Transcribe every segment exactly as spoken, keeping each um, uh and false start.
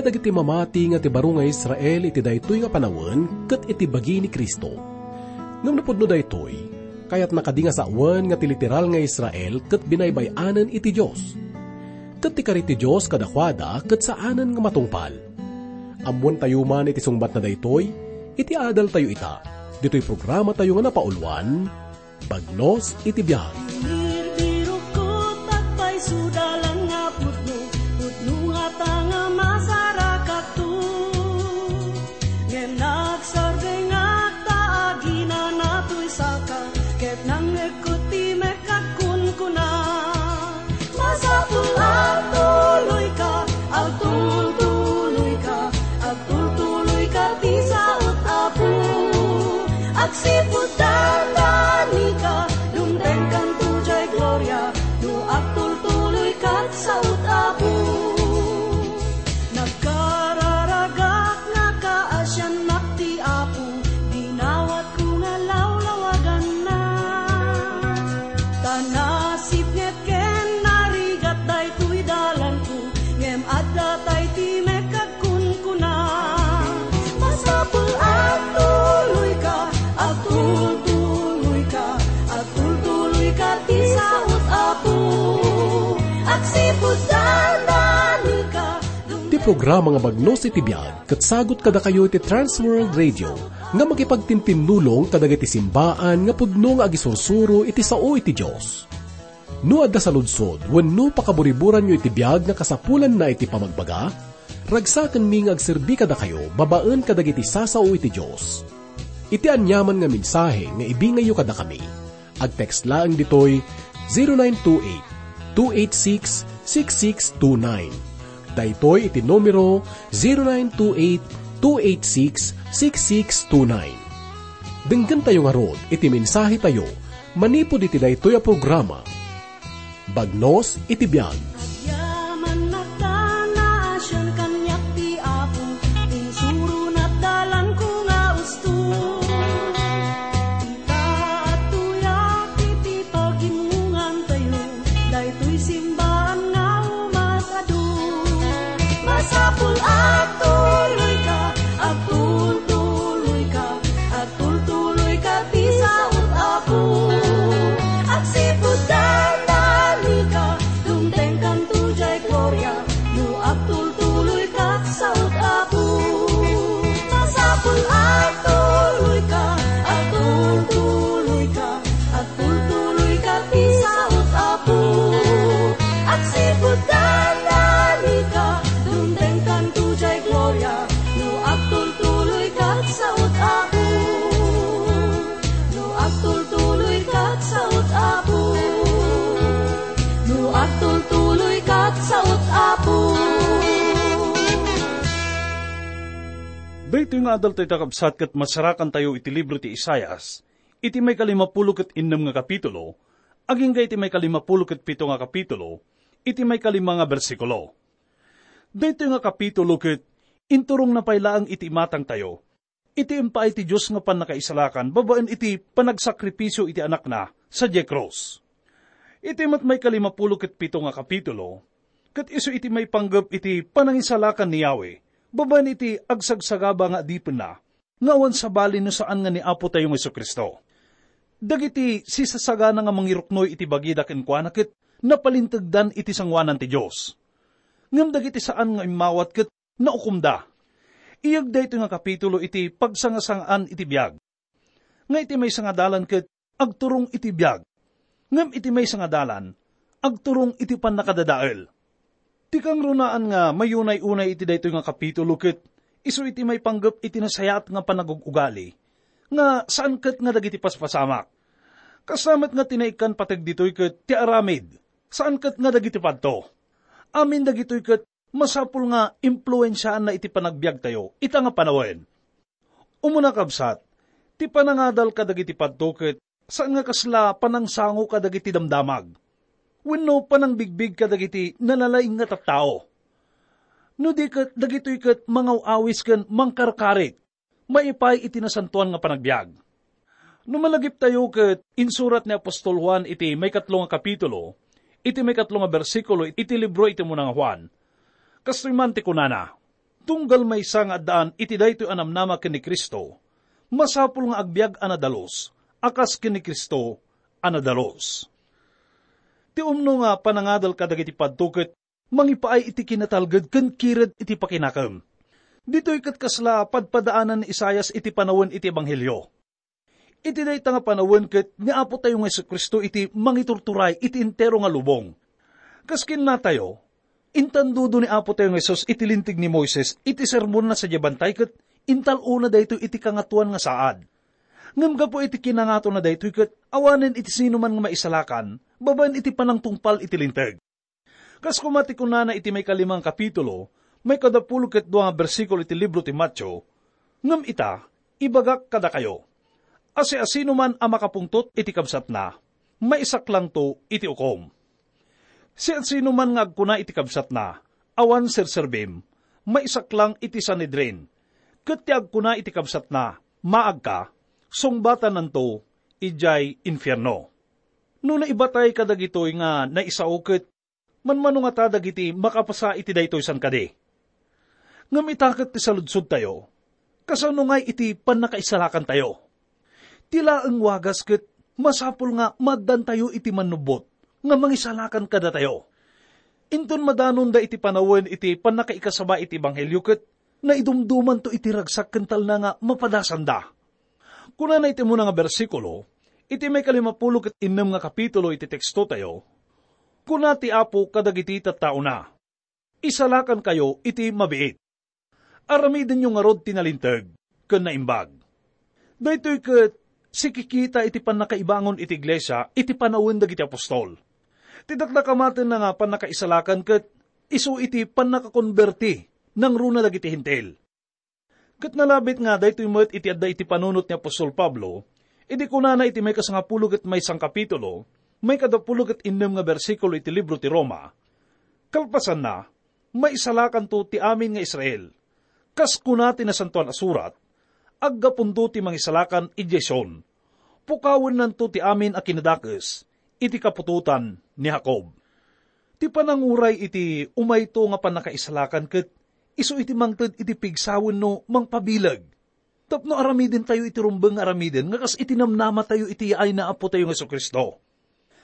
Dagiti mamati nga ti baro nga Israel iti daytoy nga panawen ket iti bagi ni Cristo. Ngem napudno daytoy, kayatna kadi nga sawen nga ti literal nga Israel ket binaybay-anen iti Dios. Ket ti kari ti Dios kadakuada ket saanen nga matungpal. Ammoentayo man iti sungbatna daytoy, iti adaltayo ita, ditoy programatayo nga napauluan, Bagnos iti biag. Birbirokkot agpayso dalan nga pudno, pudno ngata nga masarakakto. Ngem nagsardengak ta aginanatoy saka, ket nangngegko ti mekkak kunkuna. Masapul agtuloyka, agtultuloyka, agtultuloyka ti saot, Apo. Agsipud dandanika, dumtengkanto jay gloria, no agtultuloyka ti saot, Apo. Nagkararagak nga kaasiannak ti Apo, dinawatko nga lawlawaganna. Ta nasipnget ken narigat daytoy dalanko, ngem adda tay ti mekkak kunkuna. Masapul agtuloyka, agtultuloyka, agtultuloyka ti saot, Apo. Agsipud dandanika. Ti programa nga Bagnos iti Biag ket sagut kadakayo iti Trans World Radio nga makipagtintinnulong kadagiti simbaan nga pudno nga agisursuro iti sao iti Dios. No adda saludsod wenno pakaburiburanyo iti biag nga kasapulanna iti pamagbaga, ragsakenmi nga agserbi kadakayo babaen kadagiti sasao iti Dios. Iti aniaman nga mensahe nga ibingayyo kadakami, agtext laeng ditoy zero nine two eight, two eight six, six six two nine. Daytoy iti numero zero nine two eight, two eight six, six six two nine. Denggentayo ngarud iti mensahetayo manipud iti daytoy a programa. Bagnos iti biag. Agyaman nagtana, sian kaniak ti Apo, insurona ti dalanko nga usto. Ita, adtoyak iti pagimongantayo, daytoy simbaan nga umas-adu. Masapul agtuloyka, agtultuloyka, agtultuloyka ti saot, Apo. Agsipud dandanika, dumtengkanto jay gloria, no agtultuloyka ti saot, Apo. Masapul agtuloyka, agtultuloyka, agtultuloyka ti saot, Apo. Agsipud dandanika, dumtengkanto jay gloria, no agtultuloyka ti saot, Apo. No agtultuloyka ti saot, Apo. No agtultuloyka ti saot, Apo. Daytoy nga adal tayo, kakabsat, ket masarakantayo iti libro ti Isaias, iti maikalimapulo ket innem nga kapitulo, agingga iti maikalimapulo ket pito nga kapitulo, iti maikalima nga bersikulo. Daytoy nga kapitulo ket inturongna pay laeng iti imatangtayo, iti impaay ti Dios nga pannakaisalakan babaen iti panagsakripisio iti Anakna sadiay krus. Iti met maikalimapulo ket pito nga kapitulo, ket isu iti maipanggep iti panangisalakan ni Yahweh babaen iti agsagsagaba nga adipenna, nga awan sabali no saan nga ni Apotayo nga Jesu-Cristo. Dagiti sisasagana nga mangiruknoy iti bagida kenkuana ket napalintegdan iti sangoanan ti Dios. Ngem dagiti saan nga immawat ket naukomda. Iyeg daytoy nga kapitulo iti pagsangasangaan iti biag. Nga iti maysa nga dalan ket agturong iti biag, ngem iti maysa nga dalan, agturong iti pannakadadael. Ti kangrunaan nga mayunay-unay iti daytoy nga kapitulo ket isu iti maipanggep iti nasayaat nga panagug-ugali nga saan ket nga dagiti paspasamak. Kasla met nga ti naikkan pateg ditoy ket ti aramid, saan ket nga dagiti padto. Amin dagitoy ket masapul nga impluensiaanna iti panagbiagtayo ita nga panawen. Umuna, kabsat, ti panangadal kadagiti padto ket saan nga kasla panangsango kadagiti damdamag wenno panangbigbig kadagiti nalalaing nga tattao. No di ket, dagitoy ket mangaw-awis ken mangkarkarit maipaay iti nasantoan nga panagbiag. No malagiptayo ket insurat ni apostol Juan iti maikatlo nga kapitulo, iti maikatlo nga bersikulo iti libro iti umuna nga Juan, kastoy man ti kunana, Tunggal maysa nga addaan iti daytoy a namnama ken ni Cristo, masapul nga agbiag a nadalus, a kas ken ni Cristo a nadalus. Ti umno nga panangadal kadagiti padto ket mangipaay iti kinatalged ken kired iti pakinakem. Ditoy ket kasla padpadaanan ni Isaias iti panawen iti ebanghelio. Iti dayta nga panawen ket ni Apotayo nga Jesu-Cristo iti mangiturturay iti entero nga lubong. Kas kinnatayo, intandudo ni Apotayo nga Jesus iti Linteg ni Moises iti sermonna sadiay bantay ket intal-ona daytoy iti Kangatoan nga saad. Ngem gapu iti kinangatona daytoy ket awanen iti sinuman nga maisalakan babaen iti panangtungpal iti Linteg. Kas koma ti kunana iti maikalima nga kapitulo, maikadapulo ket dua nga bersikulo iti libro ti Mateo, "Ngem ita, ibagak kadakayo, a siasinoman a makapungtot iti kabsatna, maisaklangto iti ukom. Siasinoman nga agkuna iti kabsatna, 'Awan serserbim,' maisaklang iti Sanhedrin. Ket ti agkuna iti kabsatna, 'Maagka,' sungbatannanto idiay infierno." No naibatay kadagitoy nga naisao ket manmano ngata dagiti makapasa iti daytoy san kadi? Ngem ita ket ti saludsodtayo, kasano ngay iti pannakaisalakantayo? Ti laeng wagas ket masapul nga maaddantayo iti mannubbot nga mangisalakan kadatayo. Inton madanonda iti panawen iti pannakaikasaba iti ebanghelio ket naidumdumanto iti ragsak ken talna nga mapadasanda. Kunana iti umuna nga bersikulo, iti maikalimapulo ket innem nga kapitulo iti tekstotayo, kuna ti Apo kadagiti tattaona, "Isalakankayo iti mabiit. Aramidenyo ngarud ti nalinteg ken naimbag." Daytoy ket sikikita iti pannakaibangon iti iglesia iti panawen dagiti apostol. Ti dakdakamatenna nga pannakaisalakan ket isu iti pannakakonberti nangruna dagiti Hentil. Ket nalabit nga daytoy met iti adda iti panunot ni apostol Pablo, idi kunana iti maikasangapulo ket maysa nga kapitulo, maikadapulo ket innem nga bersikulo iti libro ti Roma, "Kalpasanna, maisalakanto ti amin nga Israel. Kas kuna ti Nasantoan a Surat, 'Aggapunto ti mangisalakan idiay Sion, pukawennanto ti amin a kinadakes iti kaputotan ni Jacob.'" Ti pananguray iti umayto nga pannakaisalakan ket isu iti mangted iti pigsawen no mangpabileg tapno aramidentayo iti rumbeng nga aramiden nga kas iti namnamatayo iti yaay ni Apotayo nga Jesu-Cristo.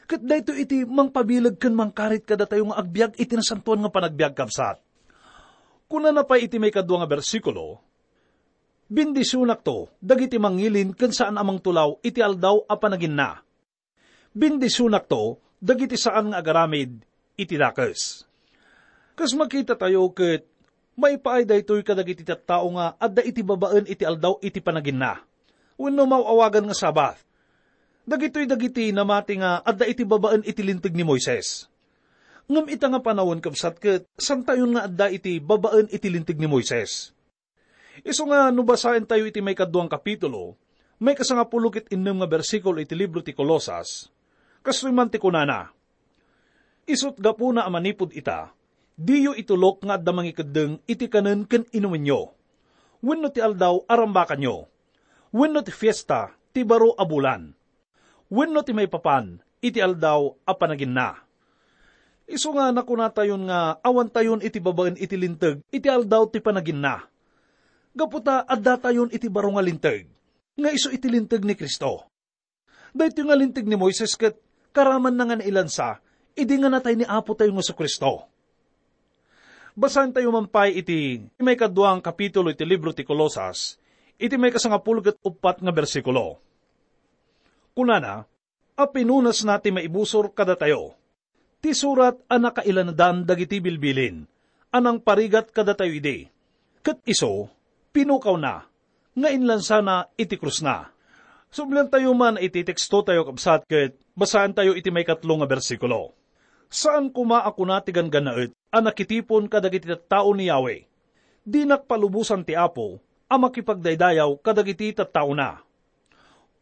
Ket daytoy iti mangpabileg ken mangkarit kadatayo nga agbiag iti nasantoan nga panagbiag, kabsat. Kunana pay iti maikadua nga bersikulo, "Bendisionakto dagiti mangilin ken saan a mangtulaw iti aldaw a panaginna. Bendisionakto dagiti saan nga agaramid iti dakes." Kas makitatayo ket maipaay daytoy kadagiti tattao nga adda iti babaen iti aldaw iti panaginna, wenno maaw-awagan nga Sabbath. Dagitoy dagiti namati nga adda iti babaen iti Linteg ni Moises. Ngem ita nga panawen, kabsat, ket santayon nga adda iti babaen iti Linteg ni Moises. Isu nga no basaentayo iti maikadua nga kapitulo, maikasangapulo ket innem nga bersikulo iti libro ti Colosas, kastoy man ti kunana, "Isut' gapuna a manipud ita, diyo itulok nga adda mangikeddeng iti kanen ken inumenyo, wenno ti aldaw a rambakanyo, wenno ti fiesta ti baro a bulan, wenno ti maipapan iti aldaw a panaginna." Isu nga nakunatayon nga awantayon iti babaen iti Linteg iti aldaw ti panaginna, gapu ta addatayon iti baro nga linteg, nga isu iti Linteg ni Cristo. Daytoy nga Linteg ni Moises ket karamanna nga nailansa idi nga natay ni Apotayo nga Jesu-Cristo. Basaentayo man pay iti maikadua nga kapitulo iti libro ti Colosas, iti maikasangapulo ket uppat nga bersikulo. Kunana, a pinunasna ti maibusor kadatayo, ti surat a nakailanadan dagiti bilbilin a nangparigat kadatayo idi, ket isu, pinukawna nga inlansana iti krusna. Subliantayo man iti tekstotayo, kabsat, ket basaentayo iti maikatlo nga bersikulo. Saan koma a kuna ti ganggannaet a nakitipon kadagiti tattao ni Yahweh. Dinak palubosan ti Apo a makipagdaydayaw kadagiti tattaona.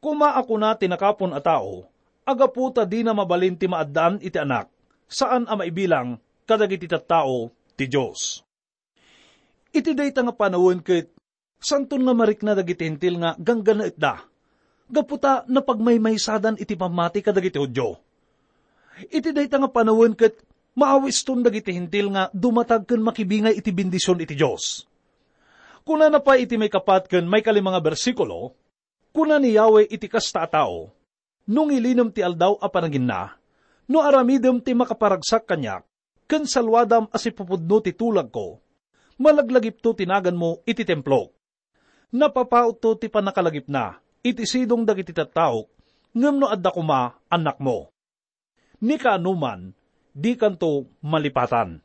Koma a kuna ti nakapon a tao a gapu ta dina mabalin ti maaddaan iti Anak, saan a maibilang kadagiti tattao ti Dios. Iti dayta nga panawen ket santon nga marikna dagiti Hentil nga ganggannaetda, gapu ta napagmaymaysadan iti pammati kadagiti Judio. Iti dayta nga panawen ket maawiston dagiti Hentil nga dumatag ken makibingay iti bendision iti Dios. Kunana pay iti maikapat ken maikalima nga bersikulo, kuna ni Yahweh iti kasta a tao, "No ngilinem ti aldaw a panaginna, no aramidem ti makaparagsak kaniak, ken saluadam a sipupudno ti tulagko, malaglagipto ti naganmo iti templok. Napapautto ti pannakalagipna iti sidong dagiti tattaok, ngem no adda koma, annakmo. Ni kaanoman, dikanto malipatan."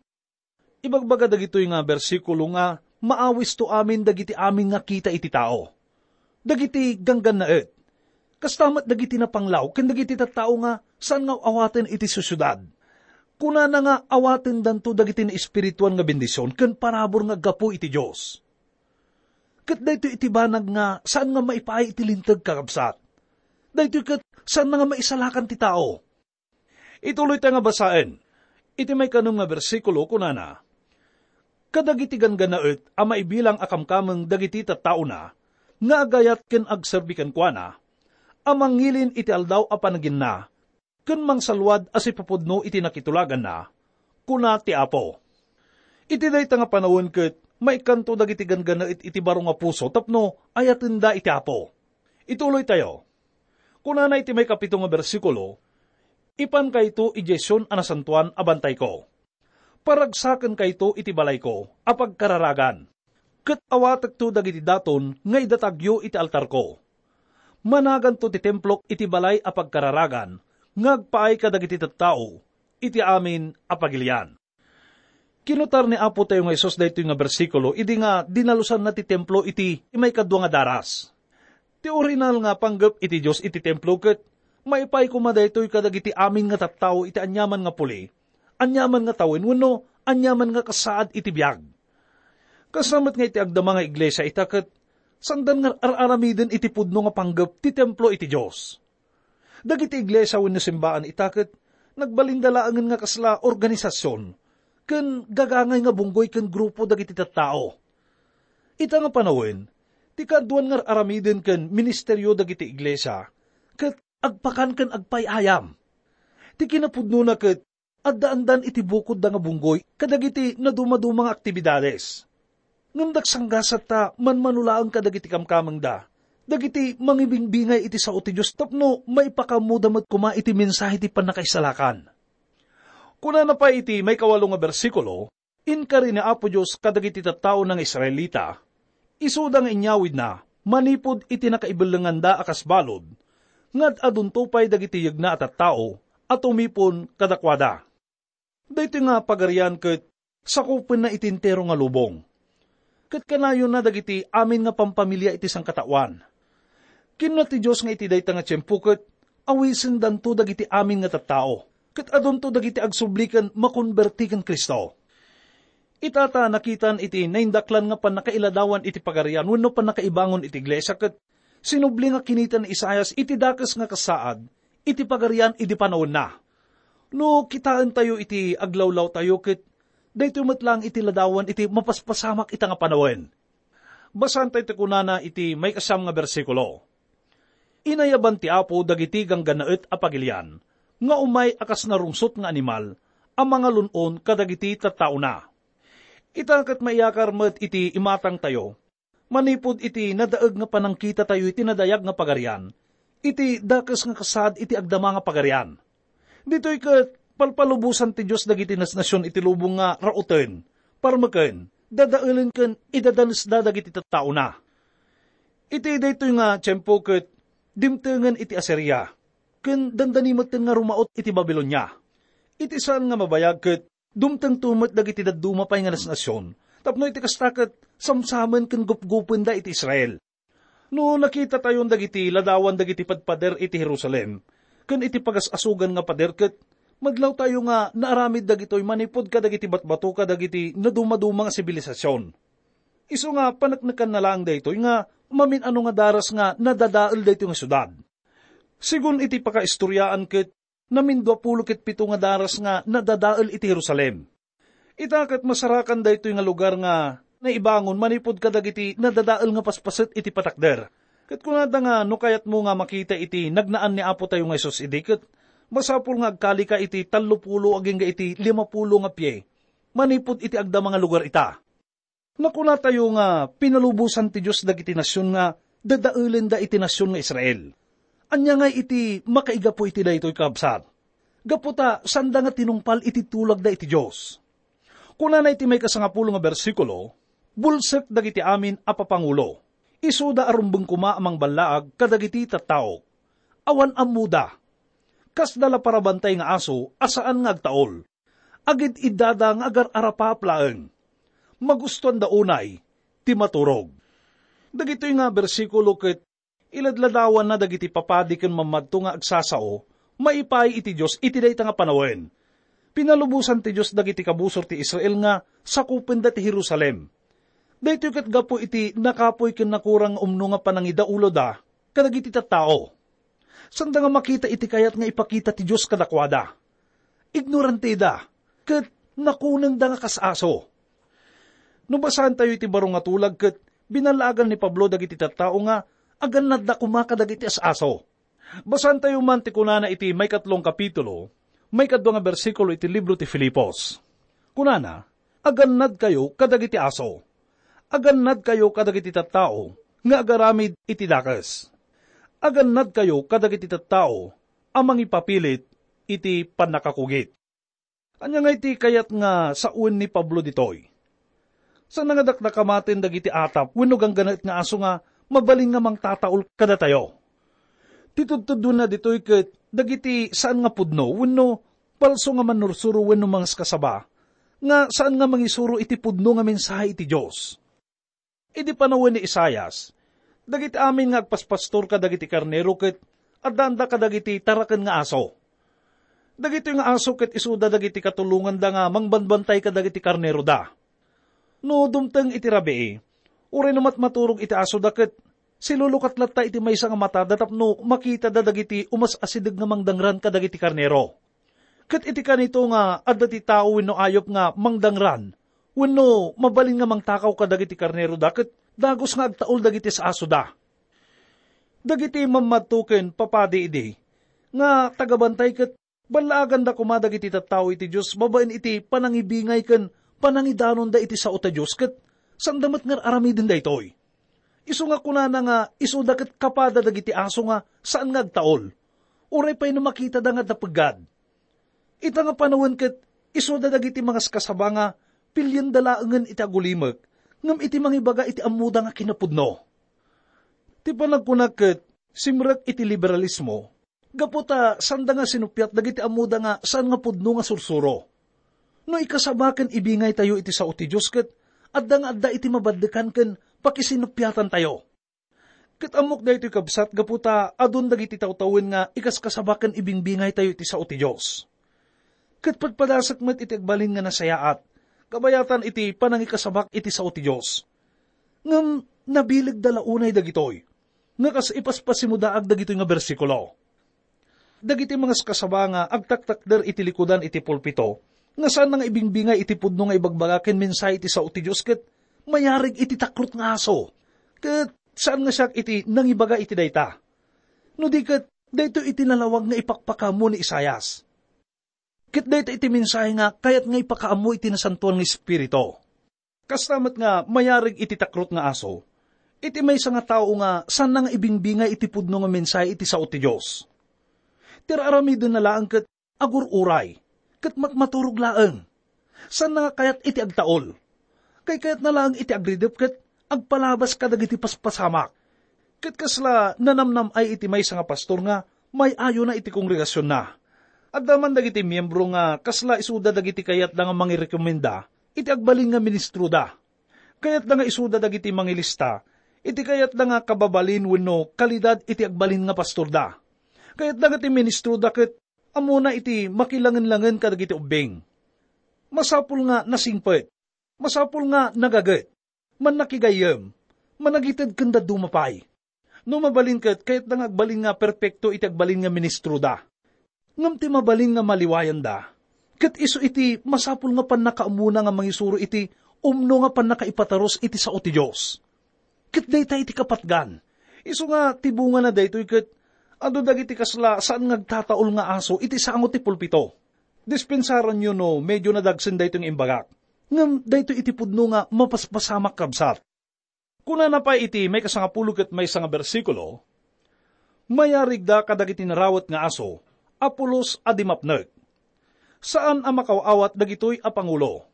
Ibagbaga dagitoy nga bersikulo nga maawisto amin dagiti amin nga kita iti tao. Dagiti ganggannaet. Kasta met dagiti napanglaw ken dagiti tattao nga saan nga awaten iti siudad. Kunana nga awatendanto dagiti naespirituan nga bendision ken parabur nga aggapu iti Dios. Ket daytoy iti banag nga saan nga maipaay iti linteg, kakabsat. Daytoy ket saan nga maisalakan ti tao. Ituloy ta nga basaen. Iti maikanem nga bersikulo, kunana, "Kadagiti ganggannaet a maibilang a kamkameng dagiti tattaona nga agayat ken agserbi kenkuana, a mangilin iti aldaw a panaginna, ken mangsalwad a sipupudno iti nakitulaganna," kuna ti Apo. Iti dayta nga panawen ket maikkanto dagiti ganggannaet iti baro nga puso tapno ayatenda iti Apo. Ituloytayo. Kunana iti maikapito nga bersikulo, "Ipankayto idiay Sion a nasantoan a bantayko. Paragsakenkayto iti balayko a pagkararagan, ket awatekto dagiti daton nga idatagyo iti altarko. Managanto ti templok iti balay a pagkararagan nga agpaay kadagiti tattao iti amin a pagilian." Kinutar ni Apo tayo nga Jesus daytoy nga bersikulo idi nga dinalusanna ti templo iti maikadua nga daras. Ti orihinal nga panggep iti Dios iti templo ket maipaay koma daytoy kadagiti amin nga tattao iti aniaman nga puli, aniaman nga tawen wenno aniaman nga kasaad iti biag. Kasta met nga iti agdama nga iglesia ita ket saandan nga ar-aramiden iti pudno nga panggep ti templo iti Dios. Dagiti iglesia wenno simbaan ita ket nagbalinda laengen nga kasla organisasion ken gagangay nga bunggoy ken grupo dagiti tattao. Ita nga panawen, ti kaaduan nga ar-aramiden ken ministerio dagiti iglesia ket agpakan ken agpay-ayam. Ti kinapudnona ket addaandan iti bukodda nga bunggoy kadagiti nadumaduma nga aktibidades. Ngem dagsanggasat ta manmano laeng kadagiti kamkamengda, dagiti mangibingbingay iti sao ti Dios tapno maipakaammoda met koma iti mensahe ti pannakaisalakan. Kunana pay iti maikawalo nga bersikulo, "Inkari ni Apo Dios kadagiti tattaona nga Israelita, isuda nga inyawidna manipud iti nakaibellenganda a kas balud, nga ad-adunto pay dagiti yegna a tattao a tumipon kadakuada." Daytoy nga pagarian ket sakupenna iti entero nga lubong. Ket kanayonna dagiti amin nga pampamilia iti sangkataoan. Kinuna ti Dios nga iti dayta nga tiempo ket awisendanto dagiti amin nga tattao, ket adunto dagiti agsubli ken makonberti ken Cristo. Ita ta nakitan iti naindaklan nga pannakailadawan iti pagarian wenno pannakaibangon iti iglesia ket sinubli nga kinita ni Isaias iti dakes nga kasaad iti pagarian idi panawenna. No kitaentayo iti aglawlawtayo ket daytoy met laeng iti ladawan iti mapaspasamak ita nga panawen. Basaentayo ti kunana iti maikasiam nga bersikulo. Inayaban ti Apo dagiti ganggannaet a pagilian nga umay a kas narungsot nga animal a mangalun-on kadagiti tattaona. Ita ket maiyakar met iti imatangtayo, manipud iti nadaeg nga panangkitatayo iti nadayag nga pagarian, iti dakes nga kasaad iti agdama nga pagarian. Ditoy ket palpalubosan ti Dios dagiti nasnasion iti lubong nga rauten, parmeken, dadaelen ken idadanesda dagiti tattaona. Iti daytoy nga tiempo ket dimtengen iti Asiria, ken dandani metten nga rumaut iti Babilonia. Iti saan nga mabayag ket dumtengto met dagiti dadduma pay nga nasnasion, tapno iti kasta ket samsamen ken gupgupenda iti Israel. No nakitatayon dagiti ladawan dagiti padpader iti Jerusalem ken iti pagas-asogan nga pader ket madlawtayo nga naaramid dagitoy manipud kadagiti batbato kadagiti nadumaduma nga sibilisasyon. Isu nga paneknekanna laeng daytoy nga mamin-ano nga daras nga nadadael daytoy nga siudad. Sigun iti pakaistoriaan ket namindua pulo ket pito nga daras nga nadadael iti Jerusalem. Ita ket masarakan daytoy nga lugar nga naibangon manipud kadagiti nadadael nga paspaset iti patakder. Ket kunada nga no kayatmo nga makita iti nagnaan ni Apo tayo nga Jesus idi ket masapul nga agkalika iti tallopulo agingga iti limapulo nga pie manipud iti agdama nga lugar ita. Nakunatayo nga pinalubosan ti Dios dagiti nasion nga dadaelenda iti nasion nga Israel. Ania ngay iti makaigapu iti daytoy, kabsat? Gapu ta saanda nga tinungpal iti tulagda iti Dios. Kunana iti maikasangapulo nga bersikulo, "Bulsek dagiti amin a papangulo. Isuda a rumbeng koma a mangballaag kadagiti tattaok. Awan ammoda. Kasda la parabantay nga aso a saan nga agtaol. Agid-iddada nga agar-arapap laeng. Magustuanda unay ti maturog." Dagitoy nga bersikulo ket iladladawanna dagiti papadi ken mammadto nga agsasao maipaay iti Dios iti dayta nga panawen. Pinalubosan ti Dios dagiti kabusor ti Israel nga sakupenda ti Jerusalem. Daytoy ket gapu iti nakapuy ken nakurang nga umno nga panangidauloda kadagiti tattao. Sanda nga makita iti kayat nga ipakita ti Dios kadakuada. Ignoranteda, ket nakunengda nga kas aso. No basaentayo iti baro nga tulag, ket binallaagan ni Pablo dagiti tattao nga agannadda koma kadagiti as-aso. Basaentayo man ti kunana iti maikatlong kapitulo, maikadua nga bersikulo iti libro ti Filipos. Kunana, "Agannadkayo kadagiti aso. Agannadkayo kadagiti tattao nga agaramid iti dakes. Agannadkayo kadagiti tattao a mangipapilit iti pannakakugit." Ania nga iti kayat nga sawen ni Pablo ditoy? Saan nga dakdakamaten dagiti atap wenno ganggannaet nga aso nga mabalin nga mangtataol kadatayo? Ti tudtuddonna ditoy ket dagiti saan nga pudno wenno palso nga mannursuro wenno mangaskasaba nga saan nga mangisuro iti pudno nga mensahe iti Dios. Idi panawen ni Isaias, dagiti amin nga agpaspastor kadagiti karnero ket addaanda kadagiti taraken nga aso. Dagitoy nga aso ket isuda dagiti katulonganda nga mangbanbantay kadagiti karneroda. No dumteng iti rabii, uray no matmaturog iti asoda ket silulukat latta iti maysa nga matada tapno makitada dagiti umas-asideg nga mangdangran kadagiti karnero. Ket iti kanito nga adda ti tao wenno ayup nga mangdangran wenno mabalin nga mangtakaw kadagiti karneroda ket dagus nga agtaol dagiti as-asoda. Dagiti mammadto ken papadi idi nga tagabantay ket ballaaganda koma dagiti tattao iti Dios babaen iti panangibingay ken panangidanonda iti sao ta Dios ket sanda met nga ar-aramiden daytoy. Isu nga kunana nga isuda ket kapada dagiti aso nga saan nga agtaol, uray pay no makitada nga adda peggad. Ita nga panawen ket isuda dagiti mangaskasaba nga pilienda laengen iti agulimek ngem iti mangibaga iti ammoda nga kinapudno. Ti panagkuna ket simrek iti liberalismo gapu ta sanda nga sinuppiat dagiti ammoda nga saan nga pudno nga sursuro. No ikasaba ken ibingaytayo iti sao ti Dios ket adda nga adda iti mabaddekan ken pakisinuppiatantayo. Ket ammok daytoy, kabsat, gapu ta adun dagiti tawtawen nga ikaskasaba ken ibingbingaytayo iti sao ti Dios. Ket padpadasek met iti agbalin nga nasayaat, kabayatan iti panangikasabak iti sao ti Dios. Ngem nabilegda la unay dagitoy, nga kas ipaspasimodaag dagitoy nga bersikulo. Dagiti mangaskasaba nga agtaktakder iti likudan iti pulpito, nga saanna nga ibingbingay iti pudno nga ibagbaga ken mensahe iti sao ti Dios ket mayarig iti takrot nga aso. Ket saan nga siak iti nangibaga iti dayta. No di ket, daytoy iti nalawag nga ipakpakaammo ni Isaias. Ket dayta iti mensahe nga kayat nga ipakaammo iti Nasantoan nga Espiritu. Kasta met nga mayarig iti takrot nga aso, iti maysa nga tao nga saanna nga ibingbingay iti pudno nga mensahe iti sao ti Dios. Ti ar-aramidenna laeng ket agur-uray, ket matmaturog laeng. Saanna nga kayat iti agtaol. Kaykayatna laeng iti agridep ket agpalabas kadagiti paspasamak. Ket kasla nanamnam-ay iti maysa nga pastor nga may-ayona iti kongregasionna. Adda man dagiti miembro nga kasla isuda dagiti kayatda nga mangirekomenda iti agbalin nga ministroda. Kayatda nga isuda dagiti mangilista iti kayatda nga kababalin wenno kalidad iti agbalin nga pastorda. Kayatda nga ti ministroda ket ammona iti makilangenlangen kadagiti ubbing. Masapul nga nasingpet. Masapul nga nagaget, mannakigayyem, managited ken dadduma pay. No mabalin ket, kayatda nga agbalin nga perpekto iti agbalin nga ministroda. Ngem ti mabalin nga maliwayanda, ket isu iti masapul nga pannakaammona nga mangisuro iti umno nga pannakaipatarus iti sao ti Dios. Ket dayta iti kapatgan. Isu nga ti bungana daytoy ket adu dagiti kasla saan nga agtataol nga aso iti sango ti pulpito. Dispensaranyo no medio nadagsen daytoy nga imbagak. Ngem daytoy iti pudno nga mapaspasamak, kabsat. Kunana pay iti maikasangapulo ket maysa nga bersikulo, "Mayarigda kadagiti narawet nga aso a pulos a di mapnek. Saan a makaw-awat dagitoy a pangulo.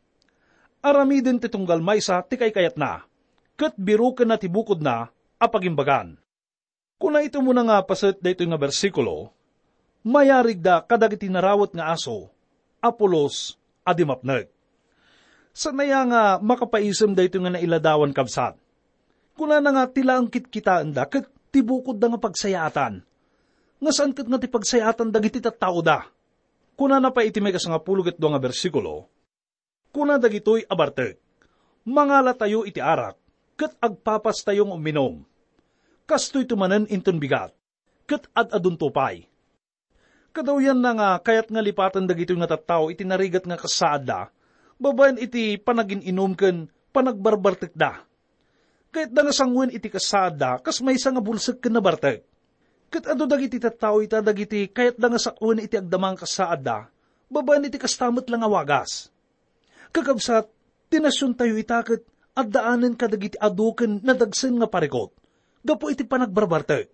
Aramiden ti tunggal maysa ti kaykayatna, ket birokenna ti bukodna a pagimbagan." Kuna iti umuna nga paset daytoy nga bersikulo, "Mayarigda kadagiti narawet nga aso a pulos a di mapnek." Saan aya nga makapaisem daytoy nga nailadawan, kabsat? Kunana nga ti laeng kitkitaenda ket ti bukodda nga pagsayaatan, nga saan ket nga ti pagsayaatan dagiti tattaoda. Kunana pay iti maikasangapulo ket dua nga bersikulo, Kuna dagitoy a bartek, "Mangalatayo iti arak, ket agpapastayo nga uminum. Kastoyto manen inton bigat, ket ad-adunto pay." Kadawyanna nga kayat nga lipaten dagitoy nga tattao iti narigat nga kasaadda, babaen iti panagin-inum ken panagbarbartekda. Kayatda nga sangoen iti kasaadda kas maysa nga bulsek ken nabartek. Ket adu dagiti tattao ita dagiti kayatda nga sak-en iti agdama nga kasaadda, babaen iti kasta met la nga wagas. Kakabsat, ti nasiontayo ita ket addaanen kadagiti adu ken nadagsen nga parikut gapu iti panagbarbartek.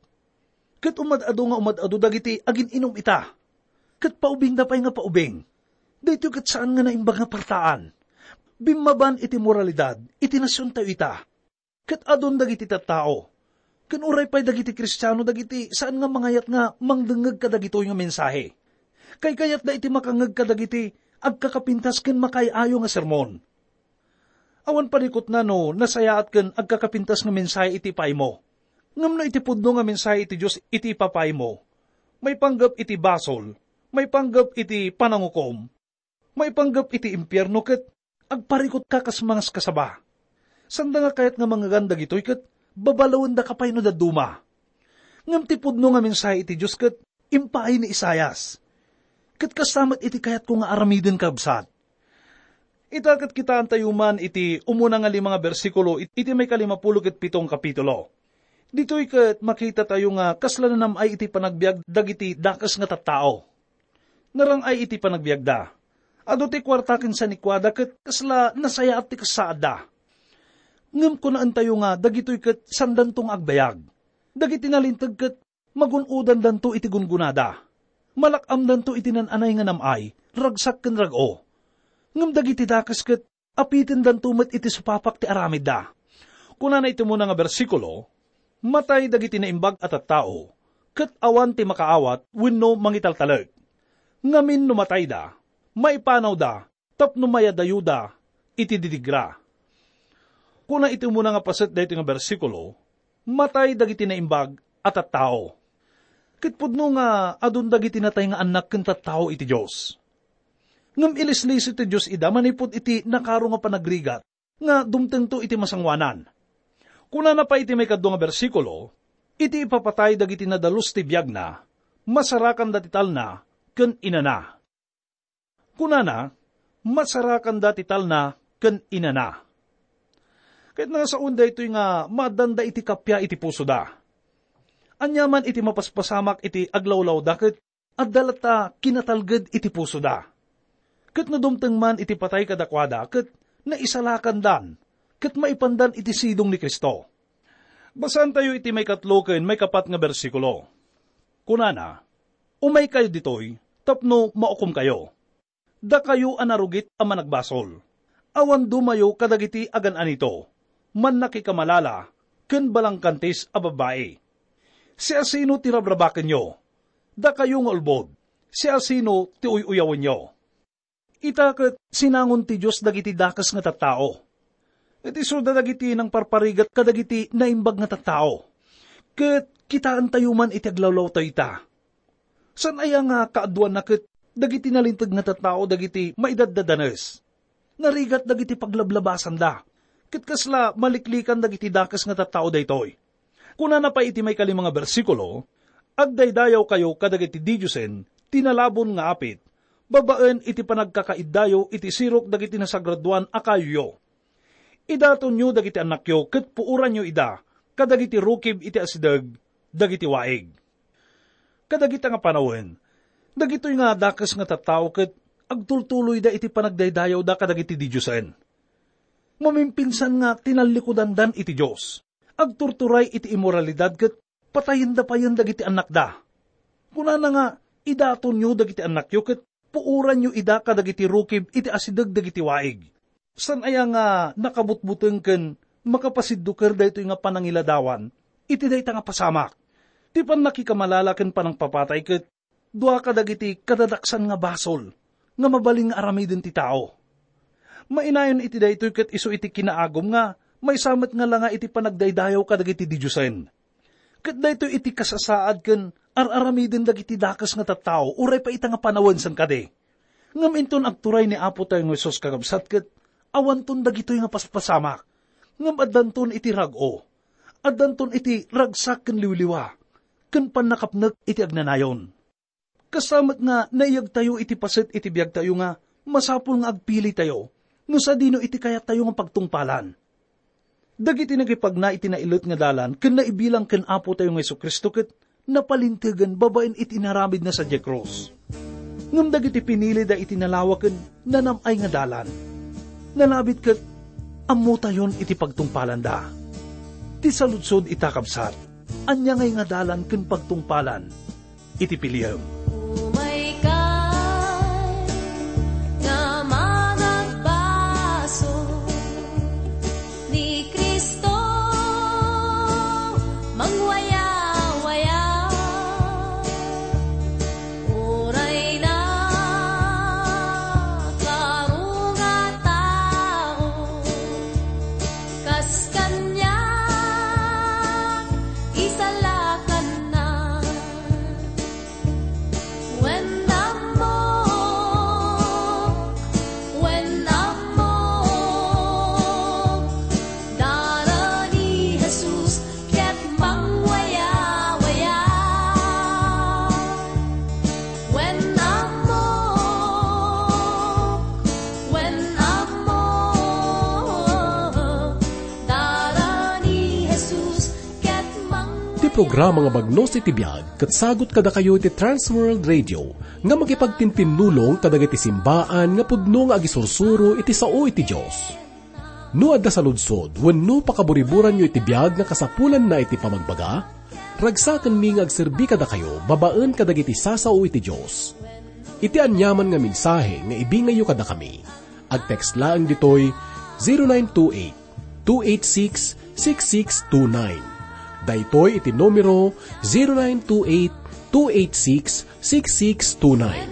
Ket umad-adu nga umad-adu dagiti agin-inum ita, ket paubingda pay nga paubing. Daytoy ket saan nga naimbag nga partaan. Bimmaban iti moralidad iti nasiontayo ita. Ket adun dagiti tattao, ken uray pay dagiti Kristiano dagiti saan nga mangayat nga mangdengngeg kadagitoy nga mensahe. Kaykayatda iti makangngeg kadagiti agkakapintas ken makaay-ayo nga sermon. Awan parikutna no nasayaat ken agkakapintas nga mensahe iti ipaaymo. Ngem no iti pudno nga mensahe iti Dios iti ipapaaymo, maipanggep iti basol, maipanggep iti panangukom, maipanggep iti impierno ket agparikutka kas mangaskasaba. Sanda nga kayat nga mangngegan dagitoy ket babalawendaka pay no dadduma. Ngem ti pudno nga mensahe iti Dios ket impaay ni Isaias. Ket kasta met iti kayatko nga aramiden, kabsat. Ita ket kitaentayo man iti umuna nga lima nga bersikulo it-, iti maikalimapulo ket pito nga kapitulo. Ditoy ket makitatayo nga kasla nanam-ay iti panagbiag dagiti dakes nga tattao. Narang-ay iti panagbiagda. Adu ti kuarta ken sanikuada ket kasla nasayaat ti kasaadda. Ngem kunaentayo nga dagitoy ket sandanto nga agbayag. Dagiti nalinteg ket magun-odandanto iti gungonada. Malak-amdanto iti nan-anay nga nam-ay, ragsak ken rag-o. Ngem dagiti dakes ket apitendanto met iti supapak ti aramidda. Kunana iti umuna nga bersikulo, "Matay dagiti naimbag a tattao, ket awan ti makaawat wenno mangitaltalek. Ngamin no matayda, maipanawda tapno mayadayoda iti didigra." Kuna iti umuna nga paset daytoy nga bersikulo, "Matay dagiti naimbag a tattao." Ket pudno nga adun dagiti natay nga annak ken tattao iti Dios. Ngem ilisliso ti Dios ida manipud iti nakaro nga panagrigat nga dumtengto iti masangoanan. Kunana pay iti maikadua nga bersikulo, "Iti ipapatay dagiti nadalus ti biagna, masarakanda ti talna ken inana." Kunana, "Masarakanda ti talna ken inana." Ket nasaon daytoy nga maaddanda iti kappia iti pusoda. Aniaman iti mapaspasamak iti aglawlawda ket adda latta kinatalged iti pusoda. Ket no dumteng man iti patay kadakuada, ket naisalakandan, ket maipandan iti sidong ni Cristo. Basaantayo iti maikatlo ken maikapat nga bersikulo. Kunana, "Umaykayo ditoy tapno maukomkayo. Dakayo a narugit a managbasol, awan dumayo kadagiti agan-anito, mannakikamalala, ken balangkantis a babbai. Siasino ti rabrabakenyo? Dakayo nga ulbod, siasino ti uy-uyawenyo?" Ita ket sinangon ti Dios dagiti dakes nga tattao. Ket isuda dagiti nangparparigat kadagiti naimbag nga tattao. Ket kitaentayo man iti aglawlawtayo ita. Saan aya nga kaaduanna ket dagiti nalinteg nga tattao dagiti maidaddadanes? Narigat dagiti paglablabasanda, ket kasla maliklikan dagiti dakes nga tattao daytoy. Kunana pay iti maikalima nga bersikulo, "Agdaydayawkayo kadagiti didiosen ti nalabon nga apit, babaen iti panagkakaiddayo iti sirok dagiti nasagradoan a kayoyo. Idatonyo dagiti annakyo ket puoranyo ida kadagiti rukib iti asideg dagiti waig." Kadagita nga panawen, dagitoy nga dakes nga tattao ket agtultuloyda iti panagdaydayawda kadagiti didiosen. Mamimpinsan nga tinallikudandan iti Dios. Agturturay iti immoralidad ket patayenda payen dagiti annakda. Kunana nga, "Idatonyo dagiti annakyo ket puoranyo ida kadagiti rukib iti asideg dagiti waig." Saan aya nga nakabutbuteng ken makapasidduker daytoy nga panangiladawan iti dayta nga pasamak? Ti pannakikamalala ken panangpapatay ket dua kadagiti kadadaksan nga basol nga mabalin nga aramiden ti tao. Mainayon iti daytoy ket isu iti kinaagum nga maysa met nga langa iti panagdaydayaw kadagiti didiosen. Ket daytoy iti kasasaad ken ar-aramiden dagiti dakes nga tattao uray pay ita nga panawen saan kadi. Ngem inton agturay ni Apo tayo nga Jesus, kakabsat, ket awanton dagitoy nga paspasamak, ngem addanton iti rag-o, addanton iti ragsak ken liwliwa, ken pannakapnek iti agnanayon. Kasta met nga naiyagtayo iti paset iti biagtayo nga masapul nga agpilitayo no sadino iti kayattayo nga pagtungpalan. Dagiti nagipagna iti nailet nga dalan ken naibilang ken Apo tayo nga Jesu-Cristo ket napalintegen babaen iti inaramidna sadiay krus. Ngem dagiti pinilida iti nalawa ken nanam-ay nga dalan, nalabit ket ammotayon iti pagtungpalanda. Ti saludsod ita, kabsat, ania ngay nga dalan ken pagtungpalan iti piliem? Umaykay nga managbaso ni Cristo, mangwayawaya. Uray na karungatao, kas kaniak, isalakanna. Wen ammok, wen ammok, dara ni Jesus ket mangwayawaya. Wen ammok, wen ammok, dara ni Jesus ket mangwayawaya. Ti programa nga Bagnos iti Biag ket sagut kadakayo iti Trans World Radio nga makipagtintinnulong kadagiti simbaan nga pudno nga agisursuro iti sao iti Dios. No adda saludsod wenno pakaburiburanyo iti biag nga kasapulanna iti pamagbaga, ragsakenmi nga agserbi kadakayo babaen kadagiti sasao iti Dios. Iti aniaman nga mensahe nga ibingayyo kadakami, agtext laeng ditoy zero nine two eight, two eight six, six six two nine. Daytoy iti numero, zero nine two eight, two eight six, six six two nine.